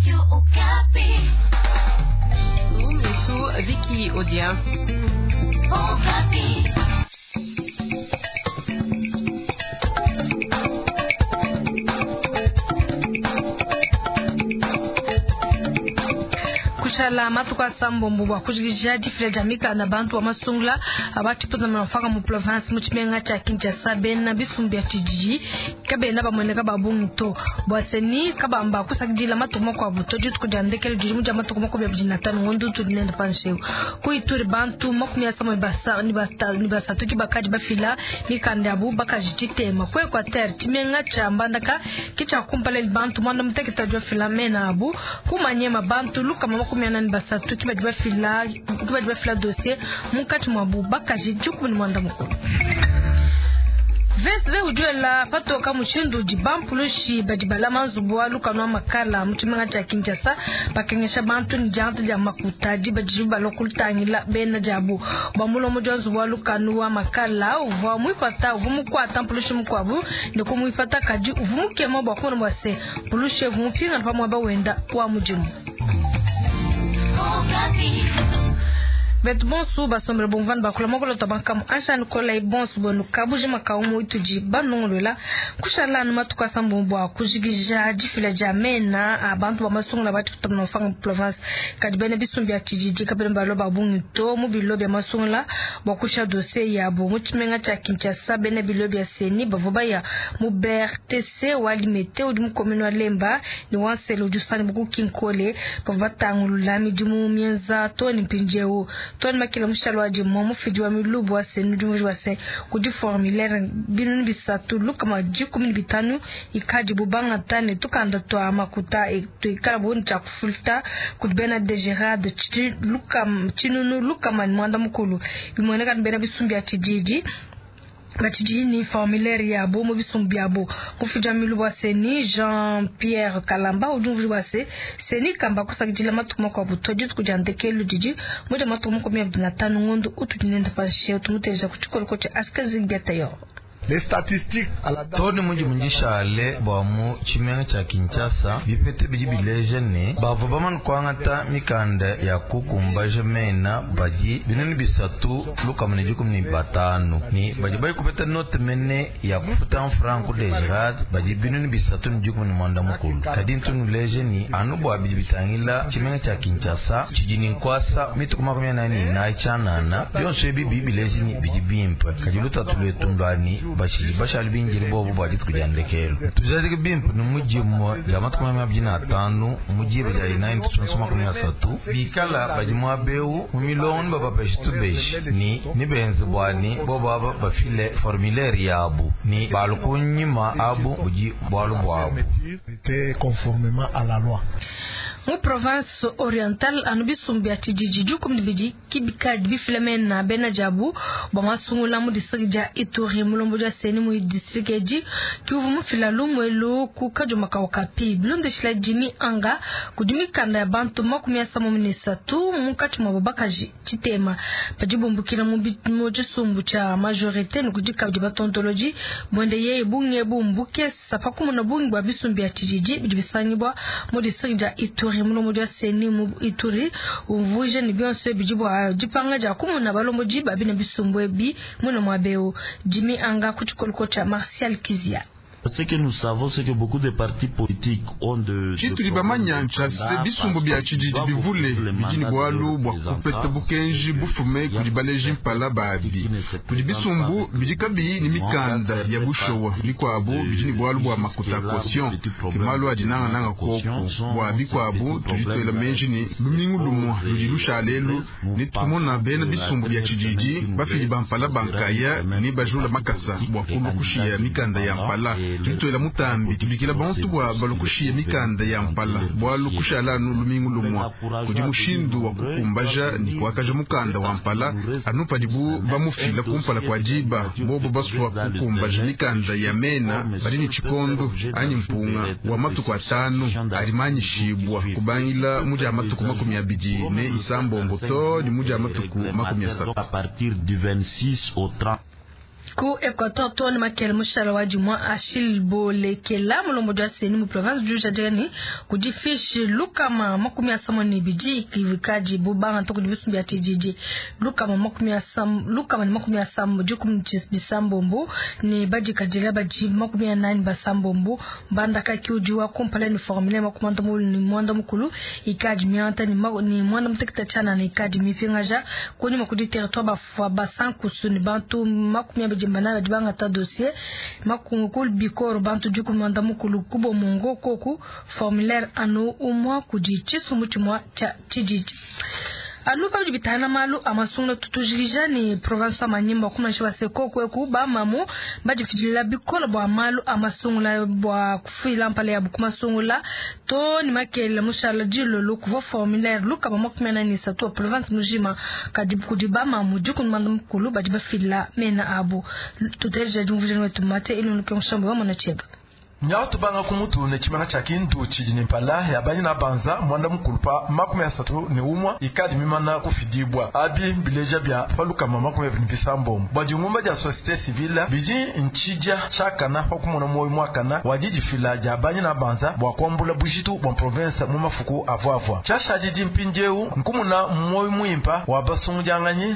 Radio Okapi. Vicky Odia. Okapi. Kushala matuku asambombo bua kujikija difila dia mikanda bantu ba masungula abatshipuzamana mfaka mu province mu tshimenga tshia Kinshasa. Bena bisumbu bia tshididi kabena bamueneka ba bungi to bua seni kabamba kusakidila matuku makuabu to. Dituku dia ndekelu didi mu dia matuku 25 ngondo utudi nende panshi ku Ituri. Bantu 53 ke bakadi bafila mikanda yabu bakaji tshitema. Ku Equateur, tshimenga tshia Mbandaka ke tshia kumpala bantu 18 badi bafila mena abu. Ku Maniema, bantu 143 ke badi bafila, ke badi bafila dossier, munkatshi muabu bakaji 18. VSV udi wela patoka mushindu udi bampulushi badi balama nzubu wa lukanu wa makala mu tshimenga tshia Kinshasa bakengesha bantu ne diangata dia makuta diba didibu balua kutangila bena diabu. Bua mulombodi wa nzubu wa lukanu wa makala uvua muipata uvua mukuata mpulushi mukuabu ne kumuipata, kadi uvua mukema bua kumona bua se mpulushi uvua mupingana pa muaba wenda wa mudimu. Okapi. Betu bonso basombele bomvani bakula makolo tabankamu anshani kola bonso bonu kabujima kaumu itudi banongolola. Kushala anu matuku asambombo bua kujikija difila dia mena a bantu ba masungula bati kutamuna mfanga province, kadi bena bisumbu bia tshididi kabena balua ba bungi to mu bilo bia masungula bua kusha dossier yabo. Mu tshimenga tshia Kinshasa, bena bilo bia seni bavua baya mu BRTC wa Limete udi mu commune wa Lemba ne wa Nsele udi usangibua ku Kinkole, bavua batangulula midimu mienza to ne mpindieu. Tony Makila mushalo wa dimo mufidi wa milubu wa se nudi wa se kudi formulaire 315 ikadi bubangata ne tukanda twa makuta tuikala buni tshia kufuta kudi bena DGRAD 690. Bimueneka ni bena bisumbu bia tshididi batshidi ni formulaire yabo mu bisumbu byabo. Mufidi wa milubu wa seni Jean Pierre Kalamba udi umvua bua se seni kamba kusakidila matuku makuabu to. Dituku dia ndekelu didi mu dia matuku 25 ngondo utudi nende panshi. Tumuteja ku tshikoloko tshia Askazi Biatayor. Tony muji mundishale bua mu tshimenga tshia Kinshasa, bipete bidi bileja ne bavua bamane kuangata mikanda ya kukumbaja mena badi 315 ne badi bayi kupeta note mene ya kufuta franc DGRAD badi 318. Kadi ntunuleje ni anu bua bidi bitangila tshimenga tshia Kinshasa tshidi ne nkuasa mituku 44 tshianana bionso ebi bidi bileja ni bidi bimpe, kadi lutatu luetu ndua ni bashili bashali binjili bobu bua dituku dia ndekelu tujadike bimpe ni mudimu dia matuku 25 mudiba dia inayi tusonso 30 bikala badi muabeu mu milongo ni babapeshi tubeshi ni nibenze bwani bobu aba bafile formulaire yabu ni balu kunyima abu budi bualu buabu. Mu province orientale anu bisumbu bia tshididi 12 kibikadi bifila mena bena diabu bua masungula mu district dia Ituri. Mulombodi wa seni mu district edi kiuvu mufila lumuelu ku kajuma ka Okapi. Bilondeshila Jimmy Anga kudi mikanda ya bantu 63 munkatshi muabu bakaji tshitema badi bumbukila mu tshisumbu tshia majorité ne kudi kabidi batontoloji buende yeye bunge bumbukesa pakumuna bungi bua bisumbu bia tshididi bidi bisangibua mu district dia Ituri. Mulombodi wa seni mu Ituri umvuije ne bionso bidi bua dipanga dia kumuna balombodi babi na bisumbu ebi muna muabeu. Jimmy Anga ku tshikoloko tshia Martial Kizia. Ce que nous savons, c'est que beaucoup de partis politiques ont de tshitudi bamanya ntshia se bisumbu bia tshididi bivule bidi ne bualu bua kupeta bukenji bufume kudi baleji mpala babi. Kudi bisumbu bidi kabiyi ne mikanda ya bushowa, bikuabu bidi ne bualu bua makuta caution, ke malu adi nangananga koku. Bua bikuabu tudi tuela meji ne lumingu lumue ludi lushala elu ne tukumona bena bisumbu bia tshididi bafidi ba mpala bankaya ne bajula makasa bua kulua kushiya mikanda ya mpala. Tudi tuela mutambi tubikila bantu bua balukushiye mikanda ya mpala bualu kushala anu lumingu lumue kudi mushindu wa kukumbaja ne kuakaja mukanda wa mpala anu padibu bamufila kumpala kua diba. Bobo basua kukumbaja mikanda ya mena badi ne tshikondo anyi mpunga wa matuku 5 adi manyishibwa kubangila mu dia matuku 26 to ne mu dia matuku 30. À partir du 26 au 30. Ku Equateur too ne makele mushala wa dimua Achille Bolekela mulombodi wa CENI mu province udi ujadika ne kudi fiche 162 ikadibu bangata kudi bisumbu bia tshididi 169 ne badikadila badi 46. Mbandaka ki udi wa kumpala ne formulaire 90 ikadi mianta ne 94 ikadi mipingaja kunyima kudi territoire bafwa basankusu ne bantu 24 badi bangata dossier makungukul bikoro bantu 13 kubo mungo koku formulaire anu umwa kudi tshisumbu tshimua tshia tshididi. Anu pabidi bitana malu amasungula tutujikija ni province wa Manyimba kumanisha baseko kweku bamamu badifidila bikola bwa malu amasungula bwa kufila mpala ya bukumasungula to ni makele mushala dilolo kuva formulaire luka ba 43 wa province mujima kadi kudi bamamu dikumanda mukulu badi bafila mena abu tuteja jumvujana wetu mate ilunluke mushambo wa mwana cheba. Nyautu banga kumutu ne chimanga cha kindu chijini mpala ya banyi na banza mwanda mukulupa 31 ikadi mimana kufidibwa abi bileja bya paluka mama kumwe bisambo bwa jingumba ja société civile biji nchija chakana pa kumona moyo mwakana wajijifila ja banyi na banza bwa kwambula bujitu bwa province mu mafuku avwavwa chashaji jimpinjeu nkumuna moyo muimpa wa basungu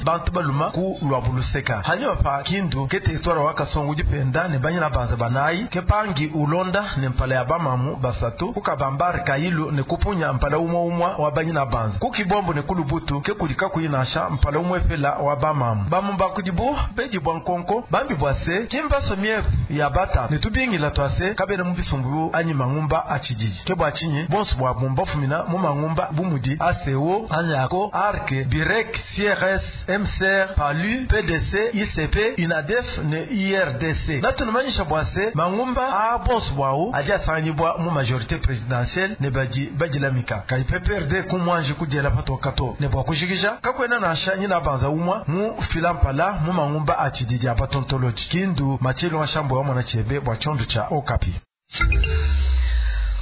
bantu baluma ku lwabuluseka hanyuma pa kindu ke territoire wa kasongo jipenda ne banyi na banza banayi ke pangi ulo ne mpala ya bamamu basatu kukabambari kailu ne kupunya mpala umwe umwa wa banyi na banza kukibombo ne kulubutu ke kudika kuyinasha mpala umwe pela wa bamamu bamu bakudibu beji bwa nkonko bambi bwase kimba somie ya bata ne tubingila twase kabene mu bisumbu anyi mangumba achijiji ke bwachinyi bonsu bwa bumba fumina mu mangumba bumudi ACO anyako arke birek CRS MCR PALU PDC ICP UNADEF ne IRDC natunumanyisha bwase mangumba a bonsu bwao aja asanganyibwa mu majorité présidentielle ne baji bajilamika kai PPRD kumwanje kujela patokato ne bwa kushikisha kakwena nasha nyina banza umwa mu filampala mu mangumba achididi abatontology kindu machelo washambo wa mwana chebe bwa chondo cha Okapi.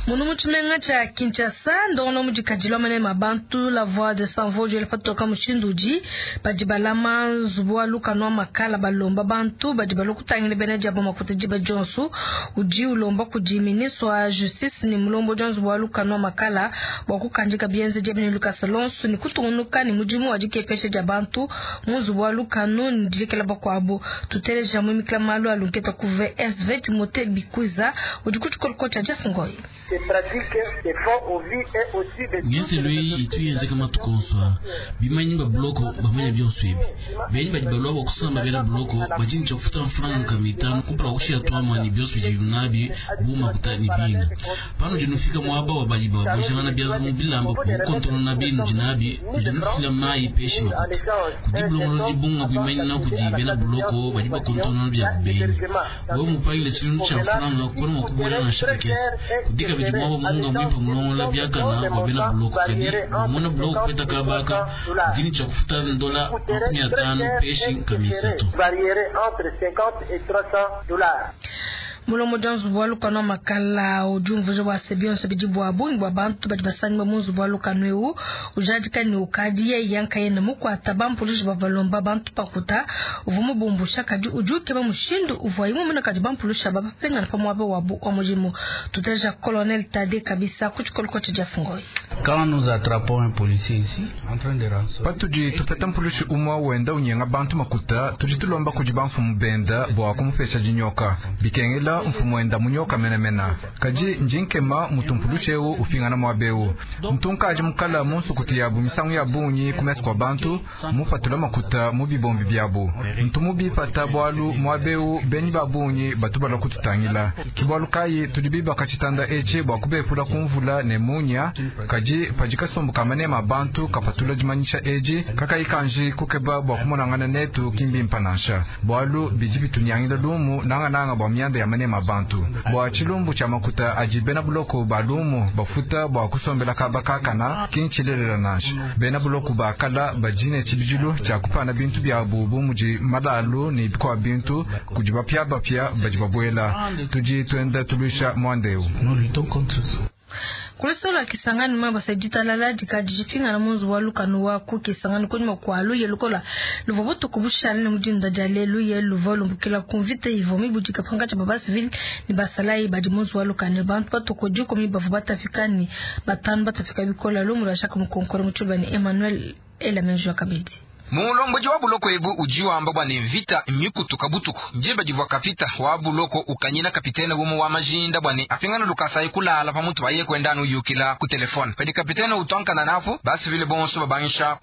Munu muchimenga cha Kinshasa ndono mujikadilwa mane mabantu la voix de sans voix jele patoka mushinduji bajibalama nzubu luka no makala balomba bantu bajibalo kutangile bene jabo makuta jiba Johnson uji ulomba kudi ministre wa justice ni mulombo Johnson wa luka no makala bwa kukandika bienze jebene Lucas Alonso ni kutungunuka ni mujimu wa jikepeshe jabantu munzubu luka no ndilekela bakwabo tuteleja mu miklamalu alunketa ku VSV Timothée Bikuza uji kuchikolo cha Jafungoi. Ngenselwei ituyenzeka matukonswa bimanyi ba bloko bamanya byonswebi benyi badi balwa bakusamba bena bloko bajinja kufuta mfranka mitano kumpala kushia twama ni byonswe jibunabi buma kuta ni bina pano jinufika mwaba wa badi babujana byaza mu bilamba kukontono na binu jinabi jinufila mai peshi makuta kudibulongo jibunga bimanyi na kudi bena bloko badi bakontono bya kubenyi wewe mupangile chilundu cha mfranka kona makubona na shakesi kudika bijimwaba munga mwipa mulongo la byakana wa bena bloko kadi mona bloko kupeta kabaka dini cha kufuta ndola 50 peshi kamisato. Mulomo janzu wa lukano makala ujumvujo wa sebionso bijibu wa bungi wa bantu badi basangi ba munzu wa lukano eu ujadika ni ukadi ye yanka yene mukwata bampulushi babalomba bantu pakuta uvumu bumbusha kadi ujuke ba mushindu uvwa imwe muna kadi bampulusha babapenga na pamwabe wabu wa mujimu tuteja Colonel Tade kabisa kuchikoloko cha Jafungoi. Quand nous attrapons un policier ici en train de rançonner patuji tupeta mpulushi umwa wenda unyenga bantu makuta tuji tulomba kuji bamfumu benda bwa kumufesha jinyoka bikengela mfumu wenda munyoka menemena kaji njinkema mutumpulushewu ufingana mwabewu mtunkaji mukala munsukutu yabu misangu ya bunyi kumesi kwa bantu mupatula makuta mu bibombi byabu ntumubipata bwalu mwabewu benyi babunyi batubala kututangila kibwalu kayi tudi bibaka chitanda echi bwa kubepula kumvula ne munya kaji pajikasumbuka manema bantu kapatula jimanyisha eji kakayikanji kukeba bwa kumonangana netu kimbi mpanansha bwalu biji bitunyangila lumu nangananga bwa myanda ya manema bantu bwa chilumbu cha makuta aji bena buloko balumu bafuta bwa kusombela kabakakana kinchilelela nansha bena buloko bakala bajine chibijilu cha kupana bintu byabu bumuji malalu ni bikwa bintu kuji bapya bapya baji babwela tuji twenda tulusha mwandeu. Nous luttons contre ça. Kulusolo Kisangani mwe basa ditalala dikadi dipingana mu nzubu wa lukanu wa ku Kisangani kunyima kua luye lukola luvua butuku bushale ne mudinda dia lelu ye luvua lumbukila ku mvita ivua mibudika pankatshi pa basivili ne basalayi badi mu nzubu wa lukanu. Bantu batuku 10 bavua batapika ne 5 batapika bikola. Lumu lua Jacques Mukonkole mu tshiluba ne Emmanuel Elamenjo kabidi. Mulomboji wa buloko ebu udi wamba bua ne mvita mikutuka butuku ndiba divua kapita wa buloko ukanyina kapitene umue wa majinda bua ne apingana lukasa kulala pamutu paye kuenda anu uyukila ku telefone. Padi kapitene utonkana napo basivile bonso babangisha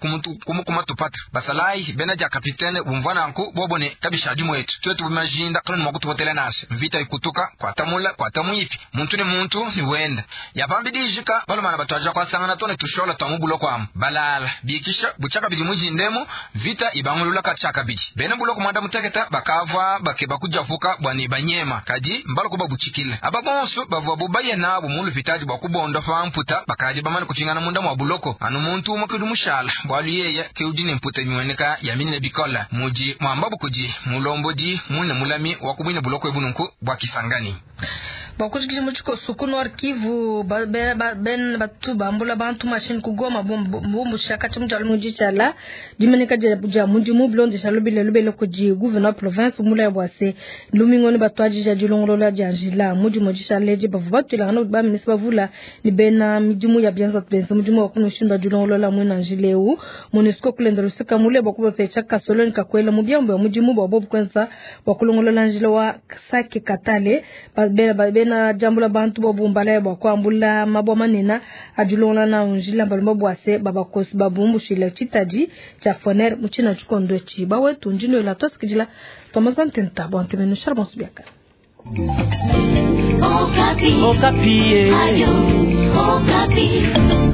kumukuma tupata basalayi bena dia kapitene bumvua nanku bobo ne kabishadi mwetu twetu bumajinda kaloni mwa kutupotela nasha mvita ikutuka kwatamula kwatamuipi muntu ne muntu ni wenda yapambidijika balumana batwaja kwasangana tone tushola twa mubuloko amu balala bikisha buchaka bidi mujindemo vita ibangulula kachakabidi bena buloko mwanda muteketa bakava bakeba kujavuka bwani banyema kadi mbaloko babuchikile aba bonso bavua bubaye nabo mu lupitadi bwa kubonda pa mputa bakadi bamane kupingana munda mwa buloko anu muntu umwe kudi mushala bwalu yeye keudi ne mputa miweneka ya minene bikola muji mwamba bukudi mulombodi mune mulami wa kubwine buloko ebununku bwa Kisangani. Bakushikisha muchiko suku Nord Kivu ben batu bambula bantu machine kugoma bombu shaka chimjalo mujichala dimeneka ja mudimu blonde shalobile lubele kudi gouverneur province mula ya bwase lumingoni batwaji ja dilongolola dia njila mudimu jishaleje bavu batwilangana ba ministre bavula ni bena midimu ya bianza benza mudimu wa kunushinda dilongolola mwina njileu MONUSCO kulenda lusika mule bwa kubapecha kasoloni kakwela mu byambo ya mudimu bwa bobu kwenza bwa kulongolola njila wa Sake Katale bena jambula bantu bobumbala bwa kwambula mabwa manena adilongola na njila balomba bwase babakosi babumbushila chitaji cha foner muchina chikondo chi bawetu njino ila tosikijila tomazantenta bontemenu charbon subiaka. Okapi. Okapi. Ayo, Okapi.